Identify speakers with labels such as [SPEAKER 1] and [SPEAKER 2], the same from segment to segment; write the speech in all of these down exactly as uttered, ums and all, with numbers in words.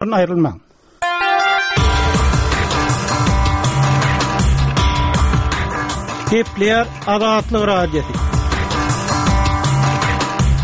[SPEAKER 1] Aýrylmaň. Gepleýär Azatlyk Radiosy.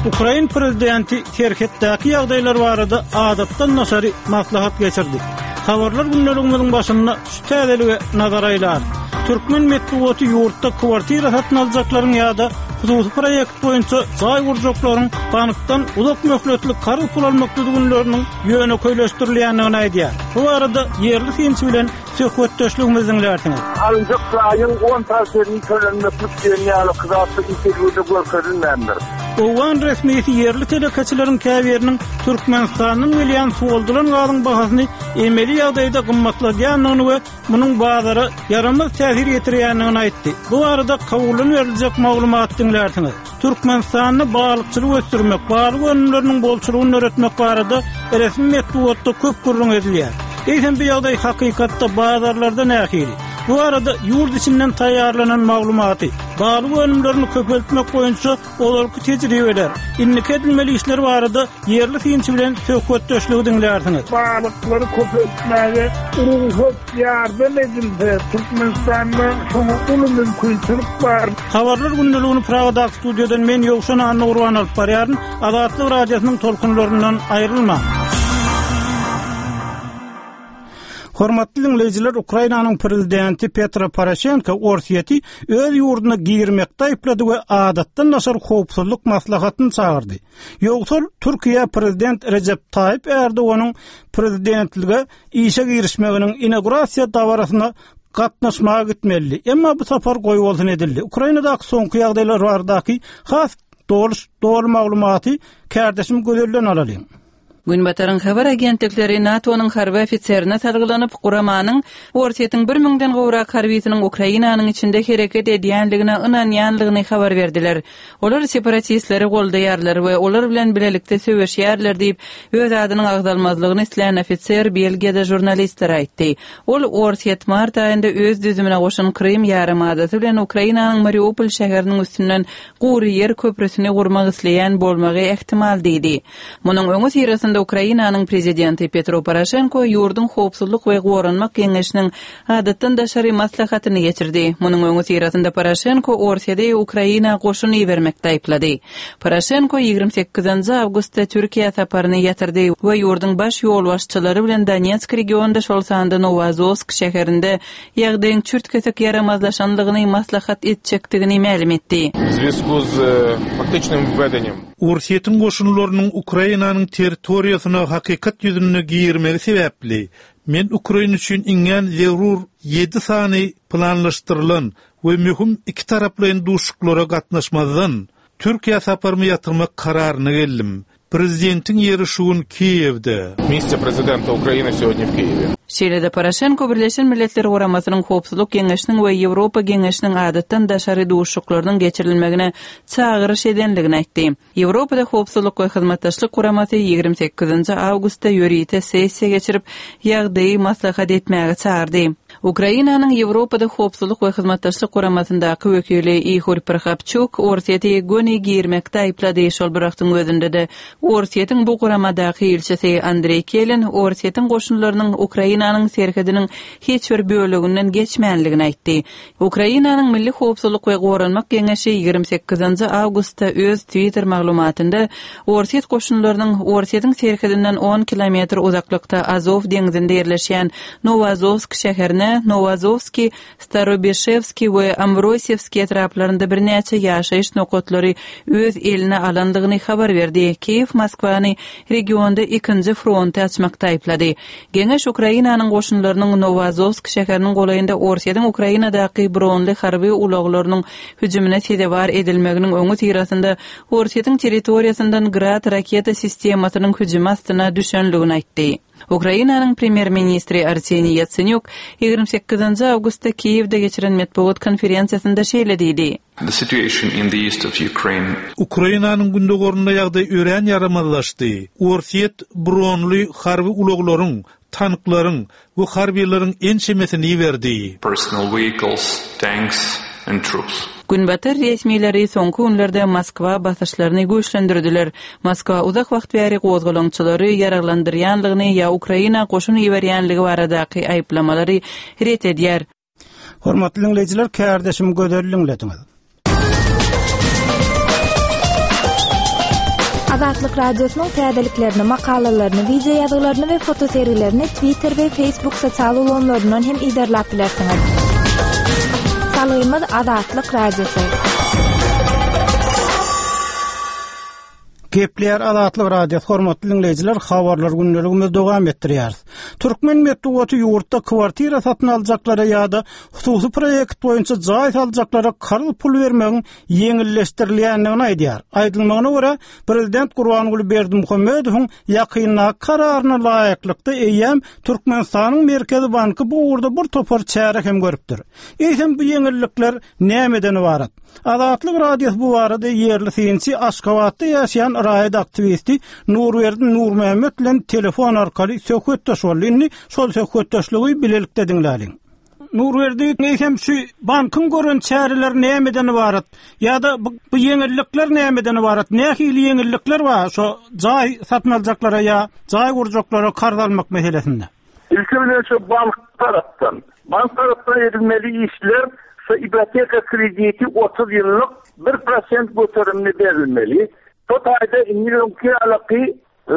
[SPEAKER 1] Ukrain prezidenti serhetdäki ýagdaýlar barada adatdan daşary maslahat geçirdi. Habarlar gündeligimiziň başynda şu täzelige nazar aýlarys. Türkmen metbugaty ýurtda kwartira satyn aljaklaryň ýa-da hususy proýekt boýunça jaý gurjaklaryň bankdan uzak möhletli karz pul almak düzgünleriniň ýönekeýleşdirilýändigini aýdýar. Bu barada ýerli synçy bilen söhbetdeşligimizi diňlärsiňiz.
[SPEAKER 2] Alynjak jaýyň on prosentini tölenmeklik diýen ýaly zatlar interwýuda görkezilmändir.
[SPEAKER 1] Owgan resmisi ýerli telekeçileriň käbiriniň Türkmenistandan gelýän suwaldylan gazyň bahasyny emeli ýagdaýda gymmatladýandygyny we munuň bazara ýaramaz täsir ýetirýändigini aýtdy. Bu barada Kabuldan beriljek maglumaty diňlärsiňiz. Türkmenistanda balykçylygy ösdürmek, balyk önümleriniň bolçulygyny döretmek barada resmi metbugatda köp gürrüň edilýär. Eýsem bu ýagdaý hakykatda bazarlarda nähili? Bu barada ýurt içinden taýýarlanan maglumaty, balyk önümlerini köpeltmek boýunça ozalky tejribeler, indiki edilmeli işler barada ýerli synçy bilen söhbetdeşligi diňlärsiňiz.
[SPEAKER 2] Balyklary köpeltmäge rugsat ýardam edilse, Türkmenistanda şoňa uly mümkinçilik bar.
[SPEAKER 1] Habarlar gündeligini Pragadaky studiýadan men Ýowşan Annagurban alyp barýaryn. Azatlyk Radiosynyň tolkunlaryndan aýrylmaň. Hormatly diňleýjiler, Ukrainanyň prezidenti Petro Poroşenko Orsýeti öz ýurduna girmekde aýyplady we adatdan daşary howpsuzlyk maslahatyny çagyrdy. Ýogsa Türkiýe prezident Rejep Taýyp Erdoganyň prezidentlige işe girişmeginiň inaugurasiýa dabarasyna gatnaşmaga gitmelidi. Emma bu sapar goýbolsun edildi. Ukrainadaky soňky ýagdaýlar baradaky has doly, doly maglumaty kärdeşim Gözelden alalyň.
[SPEAKER 3] Günbataryň habar agentlikleri NATO-nyň harby ofiserine salgylanyp, guramanyň Orsýetiň bir müňden gowrak harbysynyň Ukrainanyň içinde hereket edýänligine ynanýanlygyny habar berdiler. Olar separatistleri goldaýarlar we olar bilen bilelikde söweşýärler diýip, öz adynyň agzalmazlygyny islän ofiser Belgiýada žurnalistlere aýtdy. Ol Orsýet mart aýynda öz düzümine goşan Krym ýarymadasy bilen Ukrainanyň Mariupol şäheriniň üstünden gury ýer köprüsini gurmak isleýän bolmagy ähtimal diýdi. Munuň öňüsyrasynda Ukrainanyň prezidenti Petro Poroşenko ýurduň howpsuzlyk we goranmak geňeşiniň adatdan daşary maslahatyny geçirdi. Munuň öňüsyrasynda Poroşenko Orsýede Ukraina goşun ibermekde aýyplady. Poroşenko ýigrimi sekizinji awgustda Türkiýä saparyny ýatyrdy we ýurduň baş ýolbaşçylary bilen Donetsk regionynda, şol sanda Nowoazowsk şäherinde ýagdaýyň çürt-kesik ýaramazlaşanlygyny maslahat etjekdigini mälim etdi.
[SPEAKER 4] W związku z faktycznym wvedeniem
[SPEAKER 5] Orsýetiň goşunlarynyň Ukrainanyň territoriýasyna hakykat ýüzünde girmegi sebäpli men Ukraina üçin iňňän zerur ýedi sany planlaşdyrylan we möhüm iki taraplaýyn duşuşyklara gatnaşmazdan Türkiýä saparymy ýatyrmak kararyna geldim. Prezidentiň ýeri şu gün Kiýewde.
[SPEAKER 4] Miejsce prezydenta Ukrainy сегодня w Kijewie.
[SPEAKER 3] Şeýle-de Poroşenko Birleşen Milletler Guramasynyň Howpsuzlyk Geňeşiniň we Ýewropa Geňeşiniň adatdan daşary duşuşyklarynyň geçirilmegine çagyryş edenligini aýtdy. Ýewropada Howpsuzlyk we Hyzmatdaşlyk Guramasy ýigrimi sekizinji awgustda ýörite sessiýa geçirip, ýagdaýy maslahat etmäge çagyrdy. Ukrainanyň Ýewropada Howpsuzlyk we Hyzmatdaşlyk Guramasyndaky wekili Ihor Prokopçuk Orsýeti göni girmekde aýyplady, şol bir wagtyň özünde-de Orsýetiň bu guramadaky ilçisi Andreý Kelin Orsýetiň goşunlarynyň Ukrainanyň serhediniň hiç bir böleginden geçmänligini aýtdy. Ukrainanyň Milli Howpsuzlyk we Goranmak Geňeşi ýigrimi sekizinji awgustda öz Twitter maglumatynda Orsýet goşunlarynyň Orsýetiň serhedinden on kilometr uzaklykda Azow deňzinde ýerleşýän Nowoazowsk şäherine Nowoazowski, Starobişewski we Ambrosiewski etraplarynda birnäçe ýaşaýyş nokatlary öz eline alandygyny habar berdi. Kiýew Moskwany regionda ikinji fronty açmakda aýyplady. Geňeş Ukrainanyň goşunlarynyň Nowoazowsk şäheriniň golaýynda Orsýetiň Ukrainadaky bronly harby ulaglarynyň hüjümine sezewar edilmeginiň öňüsyrasynda Orsýetiň territoriýasyndan Grad raketa sistemasynyň hüjümi astyna düşenligini aýtdy. Ukrainanyň premýer-ministri Arseniý Ýatsenýuk ýigrimi sekizinji awgustda Kiýewde geçiren metbugat konferensiýasynda şeýle diýdi.
[SPEAKER 6] The situation in the east of Ukraine.
[SPEAKER 5] Ukrainanyň gündogarynda ýagdaý örän ýaramazlaşdy. Orsýet bronly harby ulaglaryň, tanklaryň we harbylaryň ençemesini iberdi.
[SPEAKER 6] Personal vehicles, tanks and troops.
[SPEAKER 3] Günbatar resmileri soňky günlerde Moskwa basyşlaryny güýçlendirdiler. Moskwa uzak wagt bäri gozgalaňçylary ýaraglandyrýanlygyny ýa Ukraina goşun iberýänligi baradaky aýyplamalary ret edýär.
[SPEAKER 1] Hormatly diňleýjiler, kärdeşim Gözel diňlediňiz.
[SPEAKER 7] Azatlyk Radiosynyň täzeliklerini, makalalaryny, wideo ýazgylaryny we fotosergilerini Twitter we Facebook sosial ulgamlaryndan hem iderläp bilersiňiz. Salgymyz Azatlyk Radiosy.
[SPEAKER 1] Gepleýär Azatlyk Radiosy, hormatly diňleýjiler, habarlar gündeligimizi dowam etdirýäris. Türkmen metbugaty ýurtda kwartira satyn aljaklara ýa-da hususy proýekt boýunça jaý saljaklara karz pul bermegiň ýeňilleşdirilýändigini aýdýar. Aýdylmagyna görä, Prezident Gurbanguly Berdimuhamedowyň ýakyndaky kararyna laýyklykda eýýäm Türkmenistanyň Merkezi Banky bu ugurda bir topar çäre hem görüpdir. Eýsem bu ýeňillikler nämeden ybarat? Azatlyk Radiosy bu barada ýerli synçy Aşgabatda ýaşaýan raýat aktiwisti Nurberdi Nurmämmet bilen telefon arkaly söhbetdeş boldy. Indi şol söhbetdeşligi bilelikde diňläliň. Nurberdi, eýsem şu bankyň gören çäreleri nämeden ybarat? Ýa-da bu, bu ýeňillikler nämeden ybarat? Nähili ýeňillikler bar şo jaý satyn aljaklara ýa jaý gurjaklara karz almak meselesinde?
[SPEAKER 2] İlki bilen şu bank tarapdan. Bank tarapdan edilmeli işler şu ipoteka krediti otuz ýyllyk bir prosent göterimini berilmeli. Şu taýda indi öňki ýalyky, e,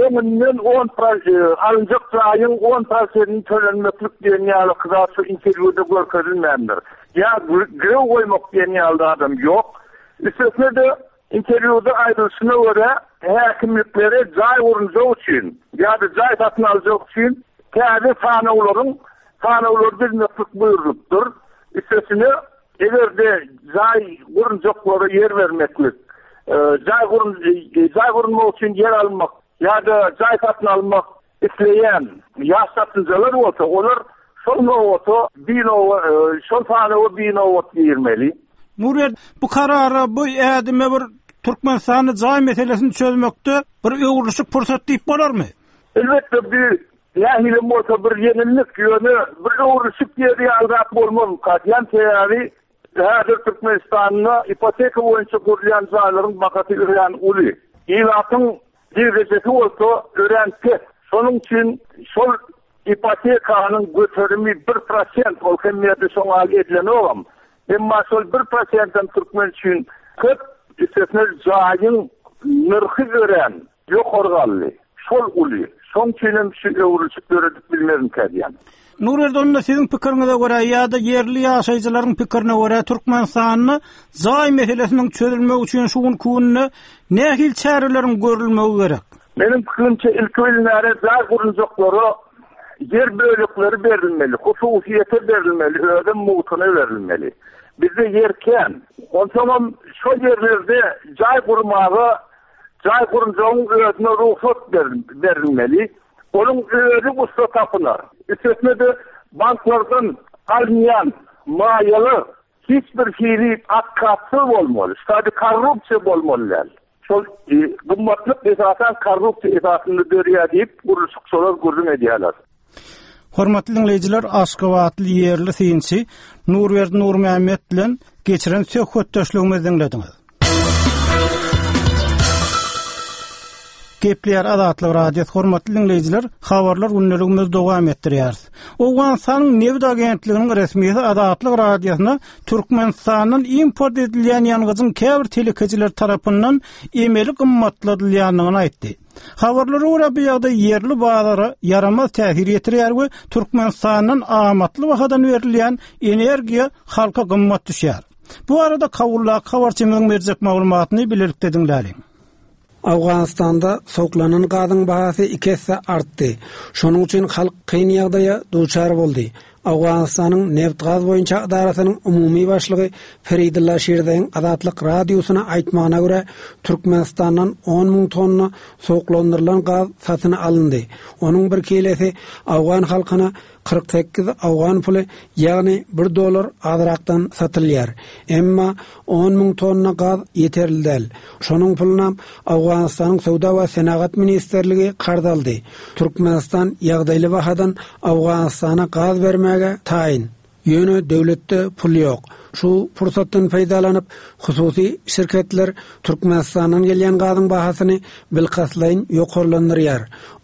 [SPEAKER 2] öňünden on pro-, e, alynjak jaýyň on prosentini tölenmeklik diýen ýalyky zat şu interwýuda görkezilmändir. Ýa gre-, girew goýmak diýen ýaly adam ýok. Üstesine-de interwýuda aýdylyşyna görä häkimliklere jaý gurunjak üçin ýa-da jaý satyn aljak üçin täze sanawlaryň sanawlary düzmeklik buýrulupdyr. Üstesine eger-de jaý gurunjaklara ýer bermeklik, e, jaý gurun-, e, jaý gurunmak üçin ýer almak ýa-da jaý satyn almak isleýän ýaş satynjalar bolsa, olar şol nowata bir nowa, e, şol sanawa bir nowat girmeli.
[SPEAKER 1] Nurberdi, bu karara, bu ädime bir Türkmenistanda jaý meselesini çözmekde bir öwrülişik pursat diýip bolarmy?
[SPEAKER 2] Elbetde bir nähili bolsa bir ýeňillik, ýöne bir öwrülişik ýeri ýaly zat bolmaz. Diýen sebäbi häzir Türkmenistanda ipoteka boýunça gurulýan jaýlaryň bahasy örän uly. Ilatyň girdejesi bolsa örän pes. Şonuň üçin şol ipotekanyň göterimi bir prosent ol hem ýerde şoňa edilenogam. Emma şol bir prosentden türkmen üçin köp, üstesine jaýyň nyrhy örän ýokary galdy. Şol uly. Şonuň üçin hem şu öwrülişik döredip bilmezim diýen.
[SPEAKER 1] Nurberdi, onda siziň pikiriňize görä ýa-da ýerli ýaşaýjylaryň pikirine görä Türkmenistanda jaý meselesiniň çözülmegi üçin şu günki günde nähili çäreleriň görülmegi gerek?
[SPEAKER 2] Meniň pikirimçe ilki bilen jaý gurunjaklara ýer bölekleri berilmeli, hususyýete berilmeli, özem mugtuna berilmeli. Bizde ýer kän. Onsoňam şol ýerlerde jaý gurmaga, jaý gurunjagyň özüne rugsat ber-, berilmeli. Onuň özi ussa tapylar. Üstesine-de banklardan alynýan maýalar hiç bir hili akatsyz bolmaly. Şady korrupsiýa bolmaly däl. Şol, e, gymmatlyk esasan korrupsiýa esasynda dörýär diýip gurluşykçylar gürrüň edýärler.
[SPEAKER 1] Hormatly diňleýjiler, Aşgabatly ýerli synçy Nurberdi Nurmämmet bilen geçiren söhbetdeşligimizi diňlediňiz. Gepleýär Azatlyk Radiosy, hormatly diňleýjiler, habarlar gündeligimizi dowam etdirýäris. Owganystanyň nebit agentliginiň resmisi Azatlyk Radiosyna Türkmenistandan import edilýän ýangyjyň käbir telekeciler tarapyndan emeli gymmatladylýandygyny aýtdy. Habarlara görä bu ýagdaý ýerli bazara ýaramaz täsir ýetirýär we Türkmenistandan amatly bahadan berilýän energiýa halka gymmat düşýär. Bu arada Kabuldaky habarçymyzyň berjek maglumatyny bilelikde diňläliň.
[SPEAKER 8] Afganistan'da soklanan gazyň bahasy iki esse artdy. Şonuň üçin halk kyn ýagdaýa duçar boldy. Afganistanyň neft-gaz boýunça edarasynyň umumy başlygy Feridullah Şirzaýyň Azatlyk radiosyna aýtmagyna görä, Türkmenistandan on müň tonna soklandyrylan gaz satyn alyndy. Onuň bir kilesi Afgan halkyna kyrk sekiz afgan puly, ýagny bir dollar azrakdan satylýar. Emma on müň tonna gaz ýeterli däl. Şonuň puluna Afganistanyň Söwda we Senagat Ministrligi karz aldy. Türkmenistan ýagdaýly bahadan Afganistana gaz bermäge taýyn. Ýöne döwletde pul ýok. Şu pursatdan peýdalanyp, hususy şirketler Türkmenistandan gelýän gazyň bahasyny bilkastlaýyn ýokarlandyrýar.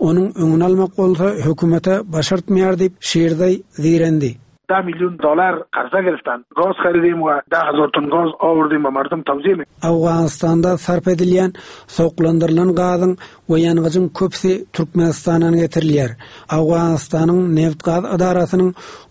[SPEAKER 8] Onuň öňüni almak bolsa hökümete başartmaýar diýip Şirzaý zeýrendi.
[SPEAKER 9] ده میلیون دلار قرضه گرفتن گاز خریدیم و ده هزار تن گاز آوردیم و مردم توزیع می
[SPEAKER 8] Owganystanda sarp edilýän sowuklandyrylan gazyň we ýangyjyň köpüsi Türkmenistandan getirilýär. Owganystanyň neft-gaz edarasynyň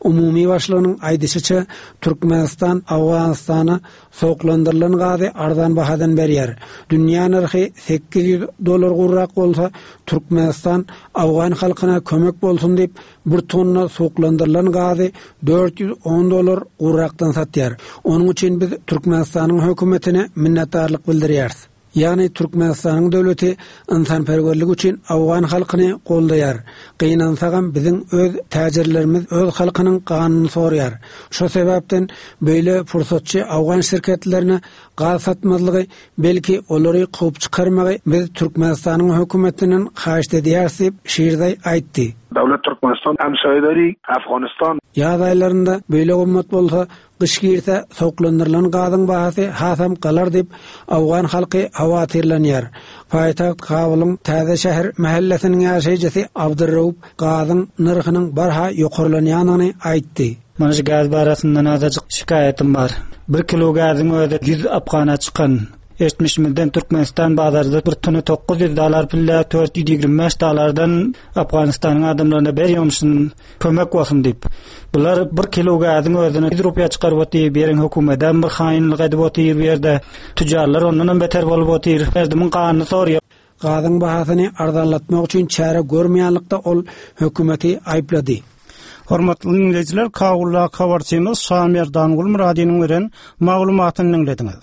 [SPEAKER 8] umumy başlygynyň aýdyşyça Türkmenistan Owganystana sowuklandyrylan gazy arzan bahadan berýär. Dünýä nyrhy sekiz ýüz dollar gurrak bolsa, Türkmenistan Owgan halkyna kömek bolsun diýip bir tonna sowuklandyrylan gazy dört ýüz on dollar gurrakdan satýar. Onuň üçin biz Türkmenistanyň hökümetine minnetdarlyk bildirýäris. Ýagny Türkmenistanyň döwleti ynsanperwerlik üçin Owgan halkyny goldaýar. Gynansagam biziň öz täjirlerimiz öz halkynyň ganyny sorýar. Şo sebäpden beýle pursatçy Owgan şirketlerine gaz satmazlygy, belki olary kowup çykarmagy biz Türkmenistanyň hökümetinden haýyş edýäris diýip Şirzaý aýtdy.
[SPEAKER 9] Döwlet Türkmenistan hemşehrileri Afganistan
[SPEAKER 8] Ýaz aýlarynda beýle gymmat bolsa, gyş girse sowuklandyrylan gazyň bahasy hasam galar diýip Owgan halky howatyrlanýar. Paýtagt Kabulyň täze şäher mahallesiniň ýaşaýjysy Abdurrauf gazyň nyrhynyň barha ýokarlanýanyny aýtdy.
[SPEAKER 10] Mana şu gaz barasyndan azajyk şikaýatym bar. Bir kilo gazyň özi ýüz afgana çykan. Eşitmişimizden Türkmenistan bazarda bir tonu dokuz ýüz dollar pille dört ýüz ýigrimi beş dollardan Afganistanyň adamlaryna berýärmişin kömek bolsun diýip. Bular bir kilo gazyň özüne ýüz rupiýa çykaryp otyr, beriň hökümeden bir haýynlyk edip otyr bu ýerde. Tüccarlar ondan hem beter bolup otyr. Erdimiň ganyny sorýar.
[SPEAKER 8] Gazyň bahasyny arzanlatmak üçin çäre görmeýänlikde ol hökümeti aýyplady.
[SPEAKER 1] Hormatly dinleýjiler, Kagulla habarçymyz Şamerdan Gulmuradynyň beren maglumatyny dinlediňiz.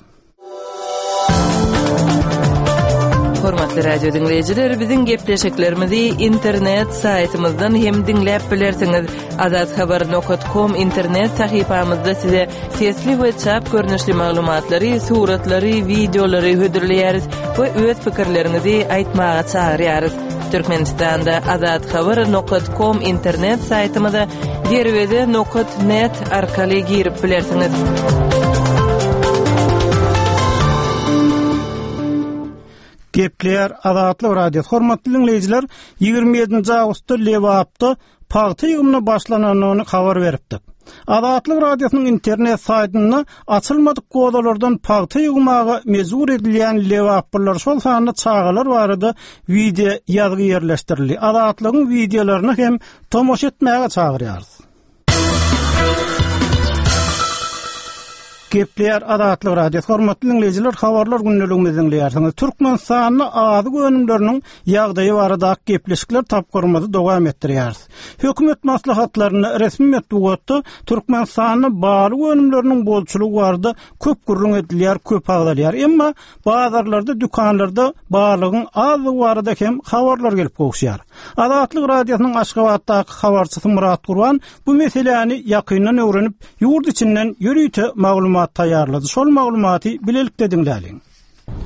[SPEAKER 3] Hormatly radio dinleýjiler, biziň gepleşiklerimizi internet saýtymyzdan hem diňläp bilersiňiz. Azathabar nokta com internet sahypamyzda size sesli we çap görnüşli maglumatlary, suratlary, wideolary hödürleýäris we öz pikirleriňizi aýtmaga çagyrýarys. Türkmenistanda azathabar nokta com internet saýtymyza derweze nokta net arkaly girip bilersiňiz.
[SPEAKER 1] Gepleýär Azatlyk Radiosy. Hormatly dinleýjiler, ýigrimi ýedinji awgustda Lebapda pagta ýygymyna başlananyny habar beripdik. Azatlyk Radiosynyň internet saýtynda açylmadyk gozalardan pagta ýygmaga mejbur edilýän Lebaplylar, şol sanda çagalar barada wideo ýazgy ýerleşdirildi. Azatlygyň wideolaryny hem tomaşa etmäge çagyrýarys. Gepleýär Azatlyk Radiosy. Hormatly dinleýjiler, habarlar gündeligimizi dinleýärsiňiz. Türkmenistanda azyk önümleriniň ýagdaýy barada gepleşikler tapgyrymyzy dowam etdirýäris. Hökümet maslahatlarynda resmi metbugatda Türkmenistanda balyk önümleriniň bolçulygy barada köp gürrüň edilýär, köp agzalýar. Emma bazarlarda, dükanlarda balygyň azlygy barada hem habarlar gelip gowuşýar. Azatlyk Radiosynyň Aşgabatdaky habarçysy Murat Gurban bu meseläni ýakyndan öwrenip, ýurt içinden ýörite maglumat taýýarlady. Şol maglumaty bilelikde diňläliň.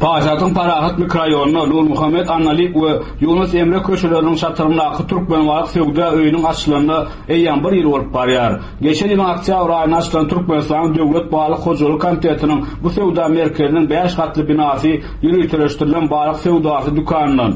[SPEAKER 11] Paýtagtyň Parahat mikrorayonuna Nur Muhammed Annalik we Yunus Emre köşeleriniň çatyryndaky Türkmenbalyk söwda öýüniň açylanyna eýýäm bir ýyl bolup barýar. Geçen ýylyň oktýabr aýynda açylan Türkmenistanyň Döwlet Balyk Hojalyk Komitetiniň bu söwda merkeziniň bäş gatly binasy ýöriteleşdirilen balyk söwdasy dükanyndan,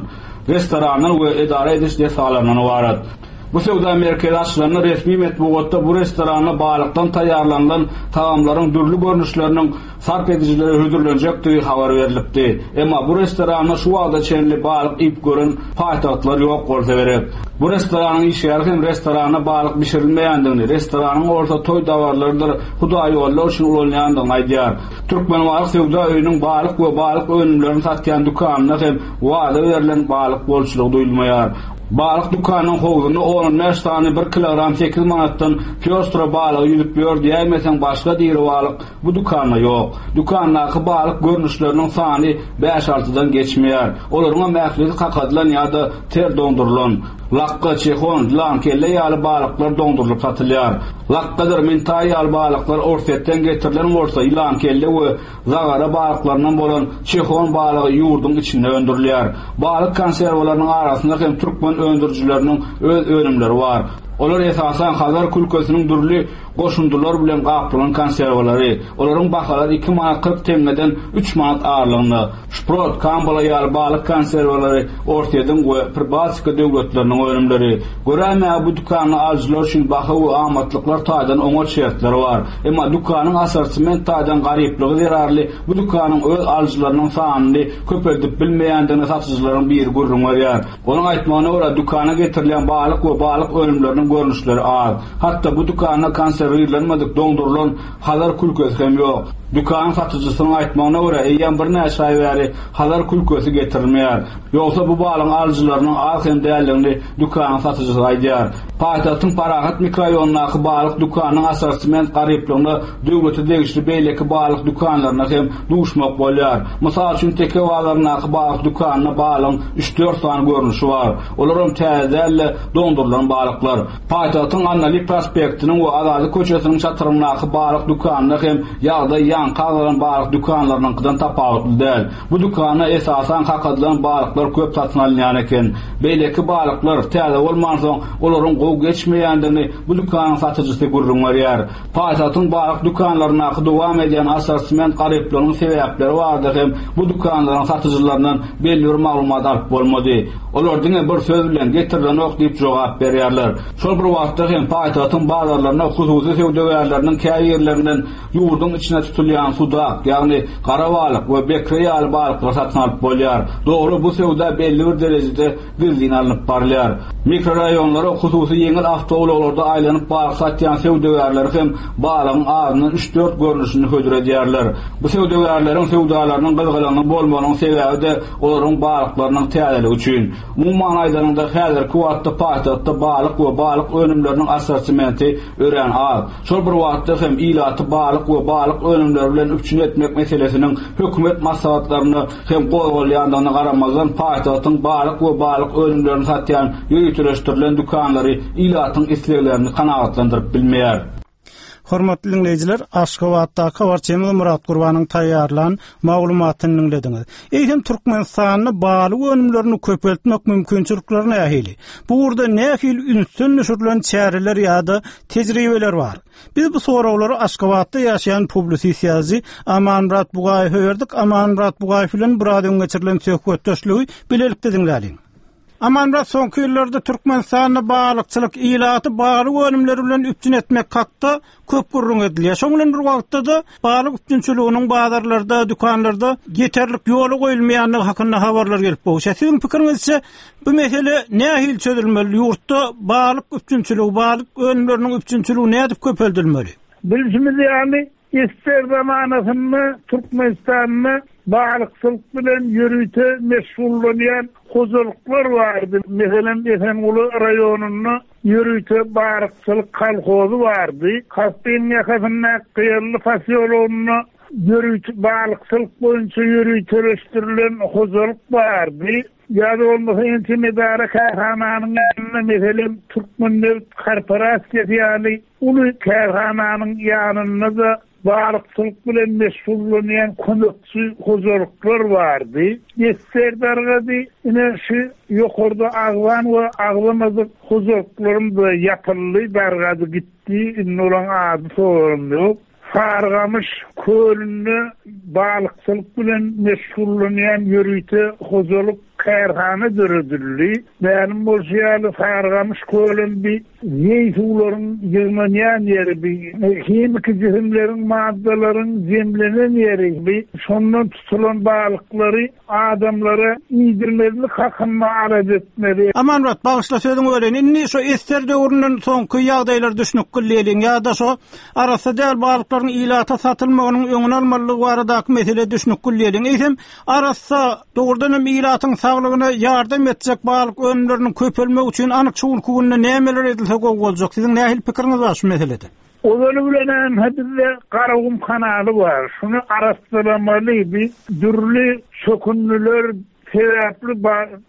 [SPEAKER 11] restorandan we edara ediş desgalaryndan ybarat. Bu söwda merkezi açylanda resmi metbugatda bu restoranda balykdan taýýarlanylan tagamlaryň dürli görnüşleriniň sarp edijilere hödürlenjekdigi habar berilipdi. Emma bu restoranda şu wagta çenli balyk iýip gören paýtagtlar ýok bolsa gerek. Bu restoranyň işgäri hem restoranda balyk bişirilmeýändigini, restoranyň bolsa toý dabarlarydyr, hudaýollar üçin ulanylýandygyny aýdýar. Türkmenbalyk söwda öýüniň balyk we balyk önümlerini satýan dükanynda hem wada berlen balyk bolçulygy duýulmaýar. Balyk dükanynyň howzunda on bäş sany bir kilogram sekiz manatdan pýostra balygy ýüzüp ýör diýäýmeseň başga diri balyk bu dükanda ýok. Dükandaky balyk görnüşleriniň sany bäş altydan geçmeýär. Olaryň hem ählisi kakadylan ýa-da ter dondurylan. Lakka, çehon, lankelle ýaly balyklar dondurylyp satylýar. Lakkadyr, mintaý ýaly balyklar Orsýetden getirilen bolsa, ýylankelle we zagara balyklaryndan bolan çehon balygy ýurduň içinde öndürilýär. Balyk konserwalarynyň arasynda hem türkmen öndürijileriniň öz önümleri bar. Olar esasan Hazar külkesiniň dürli goşundylar bilen gaplanan konserwalary. Olaryň bahalary iki manat kyrk teňňeden üç manat aralygynda. Şprot, kambala ýaly balyk konserwalary Orsýetiň we Pribaltika döwletleriniň önümleri. Göräýmäge bu dükanda alyjylar üçin baha we amatlyklar taýdan oňat şertler bar. Emma dükanyň assortiment taýdan garyplygy zerarly bu dükanyň öz alyjylarynyň sanyny köpeldip bilmeýändigini satyjylaryň biri gürrüň berýär. Onuň aýtmagyna görä dükana getirilýän balyk we balyk önümleriniň görnüşleri az. Hatda bu dükanda konserwirlenmedik doňdurylan Hazar külkesi hem ýok. Dükanyň satyjysynyň aýtmagyna görä eýýäm birnäçe aý bäri Hazar külkesi getirilmeýär. Ýogsa bu balyň alyjylarynyň az hem däldigini dükanyň satyjysy aýdýar. Paýtagtyň Parahat mikrorayonundaky balyk dükanynyň assortiment garyplygyna döwlete degişli beýleki balyk dükanlaryna hem duşmak bolýar. Mysal üçin Teke bazaryndaky balyk dükanynda balyň üç-dört sany görnüşi bar. Olar hem täze däl-de doňdurylan balyklar. Paýtagtyň Annaly prospektiniň we Azady köçesiniň çatyryndaky balyk dükanynda hem ýagdaý ýaňky agzalan balyk dükanlarynyňkydan tapawutly däl. Bu dükanda esasan kakadylan balyklar köp satyn alynýan eken. Beýleki balyklar täze bolmansoň olaryň gowy geçmeýändigini bu dükanyň satyjysy gürrüň berýär. Paýtagtyň balyk dükanlaryndaky dowam edýän assortiment garyplygynyň sebäpleri barada hem bu dükanlaryň satyjylaryndan belli bir maglumat alyp bolmady. Olar diňe bir söz bilen getirilenok diýip jogap berýärler. Şol bir wagtda hem paýtagtyň bazarlarynda hususy söwdagärleriniň käýerlerinden ýurduň içine tutulýan sudak, ýagny gara balyk we bekre ýaly balyklar satyn alyp bolýar. Dogry bu söwda belli bir derejede gizlin alnyp barylýar. Mikrorayonlara hususy ýeňil awtoulaglarda aýlanyp balyk satýan söwdagärler hem balygyň azyndan üç-dört görnüşini hödür edýärler. Bu söwdagärleriň söwdalarynyň gyzgalaňly bolmagynyň sebäbi de olaryň balyklarynyň täzeligi üçin. Umuman aýdanyňda häzirki wagtda paýtagtda balyk we balyk önümleriniň assortimenti örän az. Şol bir wagtda hem ilaty balyk we balyk önümleri bilen üpjün etmek meselesiniň hökümet maslahatlarynda hem gozgalýandygyna garamazdan paýtagtyň balyk we balyk önümlerini satýan ýöriteleşdirilen dükanlary ilatyň isleglerini kanagatlandyryp bilmeýär.
[SPEAKER 1] Hormatly dinleýjiler, Aşgabatdaky habarçymyz Murat Gurbanyň taýýarlan maglumatyny dinlediňiz. Eýsem Türkmenistanda balyk önümlerini köpeltmek mümkinçilikleri nähili? Bu ugurda nähili ünsden düşürilen çäreler ýa-da tejribeler bar? Biz bu soraglary Aşgabatda ýaşaýan publisist ýazyjy Amanmyrat Bugaýewe berdik. Amanmyrat Bugaýew bilen biraz öň geçirilen söhbetdeşligi bilelikde diňläliň. Amanmyrat, soňky ýyllarda Türkmenistanda balykçylyk ilaty balyk önümleri bilen üpjün etmek hakda köp gürrüň edilýär. Şoň bilen bir wagtda-da balyk üpjünçiliginiň bazarlarda, dükanlarda ýeterlik ýola goýulmaýandygy hakynda habarlar gelip gowuşýar. Siziň pikiriňizçe bu mesele nähili çözülmeli? Ýurtda balyk üpjünçiligi, balyk önümleriniň üpjünçiligi nädip köpeldilmeli?
[SPEAKER 2] Bilşimiz ýaly, ister zamanasynda Türkmenistanda balykçylyk bilen ýörite meşgullanýan hojalyklar bardy. Meselem, Esenguly raýonynda ýörite balykçylyk kolhozy bardy. Kaspiň ýakasynda Gyýarly posýologynda ýörite balykçylyk boýunça ýöriteleşdirilen hojalyk bardy. Ýa-da bolmasa ençeme edara kärhananyň ýanynda, meselem, Türkmennebit korporasiýasy ýaly uly kärhananyň ýanynda-da balykçylyk bilen meşgullanýan kömekçi hojalyklar bardy. Ýetser dargady, ine şu ýokarda agzan we agzamadyk hojalyklarym da ýapyldy, dargady gitdi. Indi olaň ady sorum ýok. Sargamyş kölünde balykçylyk bilen meşgullanýan ýörite hojalyk kärhana döredildi. Mälim bolşy ýaly Sargamyş kölün bir zeý suwlaryň ýygnanýan ýeri, bir himiki jisimleriň, maddalaryň jemlenen ýeri, bir şondan tutulan balyklary adamlara iýdirmezlik hakynda alada etmeli.
[SPEAKER 1] Amanmyrat, bagyşla sözüňi böleýin. Indi şu ester döwründen soňky ýagdaýlar düşünip gülleýin ýa-da şu arassa däl balyklaryň ilata satylmagynyň öňüni almalylygy baradaky mesele düşünip gülleýin. Eýsem arassa dogrudan hem ilatyň saglygyna ýardam etjek balyk önümleriniň köpelmegi üçin anyk şu günki günde nämeler edilse gowy boljak? Siziň nähili pikiriňiz bar şu meselede?
[SPEAKER 2] Ozaly bilen hem bizde Garagum kanaly bar. Şunu arassalamaly, bir dürli çökündüler sebäpli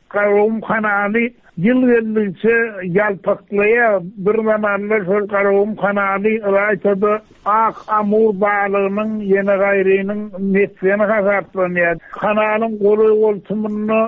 [SPEAKER 2] Garagum kanaly ýyl geldikçe ýalpaklaýar. Bir zamanlar şol Garagum kanaly ylaýtada ak amur balygynyň ýene gaýrynyň mesgeni hasaplanýar. Kanalyň golaý goltumynda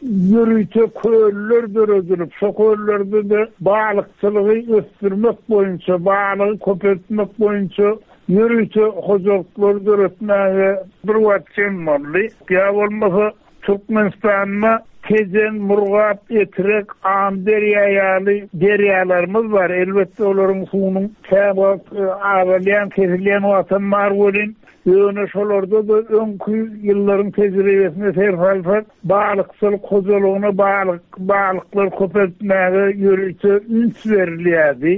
[SPEAKER 12] Ýörite köller döredilip, şo köllerde-de balykçylygy ösdürmek boýunça, balygy köpeltmek boýunça ýörite hojalyklar döretmäge bir wagt çem boldy. Ýa bolmasa Türkmenistanda Tejen, Murgap, Etrek, Amderýa ýaly derýalarymyz bar. Elbetde olaryň suwunyň käwagt azalýan, kesilýän wagtam bar welin, ýöne şolarda-da öňki ýyllaryň tejribesine ser salsak, balykçylyk hojalygyna balyk, balyklar köpeltmäge ýörite üns berilýärdi.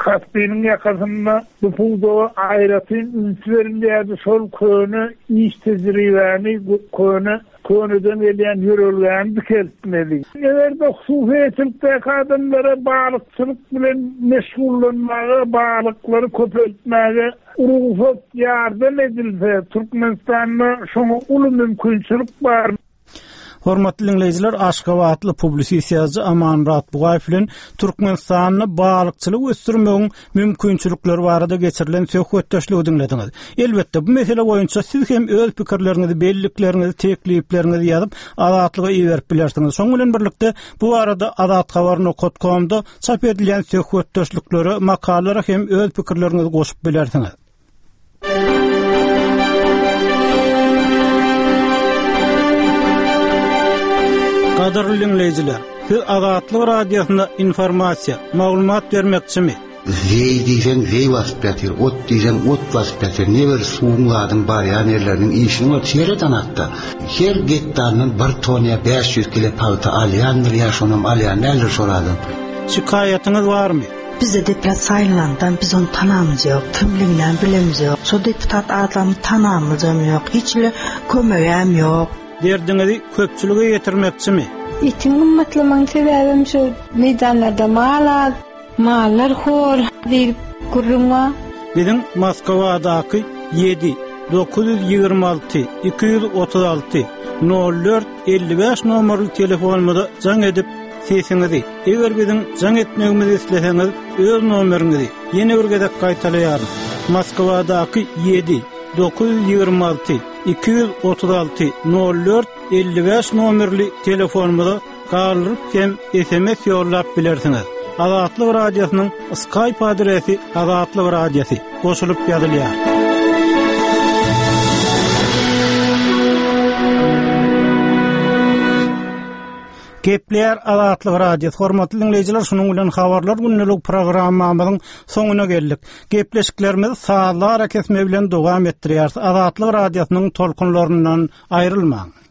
[SPEAKER 12] Kaspiniň ýakasynda bu pudaga aýratyn üns berilýärdi. Şol köne iş tejribäni, köne köneden gelýän ýörelgäni dikeltmeli. Eger-de hususyýetçilikdäki adamlara balykçylyk bilen meşgullanmaga, balyklary köpeltmäge rugsat ýardam edilse, Türkmenistanda şoňa uly mümkinçilik bar.
[SPEAKER 1] Hormatly dinleýjiler, Aşgabatly publisist ýazyjy Amanmyrat Bugaýew bilen Türkmenistanda balykçylyk ösdürmegiň mümkinçilikleri barada geçirilen söhbetdeşligi diňlediňiz. Elbetde bu mesele boýunça siz hem öz pikirleriňizi, bellikleriňizi, teklipleriňizi ýazyp Azatlyga iberip bilersiňiz. Şonuň bilen birlikde bu barada azathabar nokta comda çap edilýän söhbetdeşliklere, makalalara hem öz pikirleriňizi goşup bilersiňiz. Gadyrly dinleýjiler, siz Azatlyk radiosynda informasiýa, maglumat bermekçimi?
[SPEAKER 13] Zeý diýseň zeý basyp ýatyr, ot diýseň ot basyp ýatyr. Ne bir suwuň zadyň barýan ýerleriniň işini bar, seret anakda. Her gektardan bir ton ýa bäş ýüz kilo pagta alýandyr ýa şonam alýan däldir şol adam.
[SPEAKER 1] Şikaýatyňyz barmy?
[SPEAKER 14] Bize deputat saýlandan biz onu tanamyz ýok, kimliginden bilemiz ýok. Şo deputat adamy tanamyzam ýok, hiç bile kömegem ýok.
[SPEAKER 1] Derdiňizi köpçülige ýetirmekçimi?
[SPEAKER 15] Etiň gymmatlamagyň sebäbim şu meýdanlarda mal az, mallar hor diýip gürrüň bar.
[SPEAKER 1] Biziň Moskwadaky ýedi dokuz ýüz ýigrimi alty iki ýüz otuz alty nol dört elli bäş nomerli telefonymyza jaň edip sesiňizi, eger biziň jaň etmegimizi isleseňiz, öz nomeriňizi ýene bir gezek gaýtalaýaryn. Moskwadaky ýedi dokuz ýüz ýigrimi alty iki ýüz otuz alty nol dört elli bäş nomerli telefonymyza galdyryp hem S M S ýollap bilersiňiz. Azatlyk Radiosynyň Skype adresi Azatlyk Radiosy goşulyp ýazylýar. Gepler Azatlyk Radiosy. Hormatly dinleýjiler, şunuň bilen habarlar gündelik programmamyzyň soňuna geldik. Gepleşiklerimizi sazlar kesme bilen dowam etdirýäris. Azatlyk Radiosynyň tolkunlaryndan aýrylmaň.